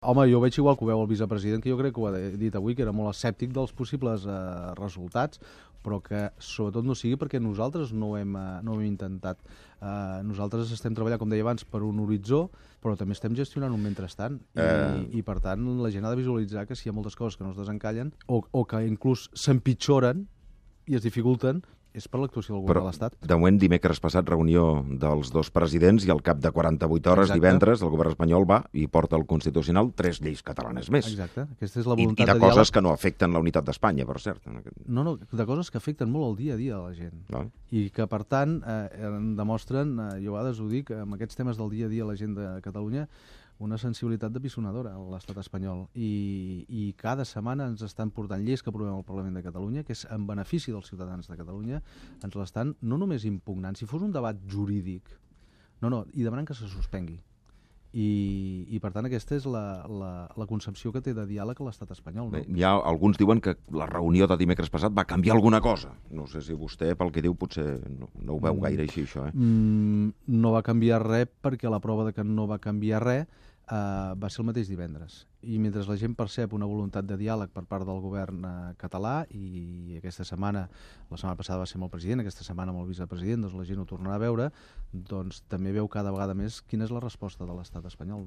Home, jo veig igual que ho veu el vicepresident, que jo crec que ho ha dit avui, que era molt escèptic dels possibles resultats, però que sobretot no sigui perquè nosaltres no ho hem intentat. Nosaltres estem treballant, com deia abans, per un horitzó, però també estem gestionant un mentrestant. I per tant, la gent ha de visualitzar que si hi ha moltes coses que no es desencallen o que inclús s'empitjoren i es dificulten, és per l'actuació del govern de l'Estat. De moment, dimecres passat, reunió dels dos presidents i al cap de 48 hores, divendres, el govern espanyol va i porta al Constitucional 3 lleis catalanes més. Exacte. Aquesta és la voluntat I de coses que no afecten la unitat d'Espanya, per cert. No, de coses que afecten molt el dia a dia de la gent. I que, per tant, demostren, jo a vegades ho dic, amb aquests temes del dia a dia a la gent de Catalunya, una sensibilitat de pisonadora a l'estat espanyol. I cada setmana ens estan portant lleis que aprovem al Parlament de Catalunya, que és en benefici dels ciutadans de Catalunya, ens l'estan no només impugnant, si fos un debat jurídic, i demanant que se suspengui. I per tant, aquesta és la concepció que té de diàleg a l'estat espanyol. No? Hi ha alguns diuen que la reunió de dimecres passat va canviar alguna cosa. No sé si vostè, pel que diu, potser no ho veu gaire així, això. No va canviar res, perquè la prova de que no va canviar res va ser el mateix divendres. I mentre la gent percep una voluntat de diàleg per part del govern català, i aquesta setmana, la setmana passada va ser amb el president, aquesta setmana amb el vicepresident, doncs la gent ho tornarà a veure, doncs també veu cada vegada més quina és la resposta de l'estat espanyol. No?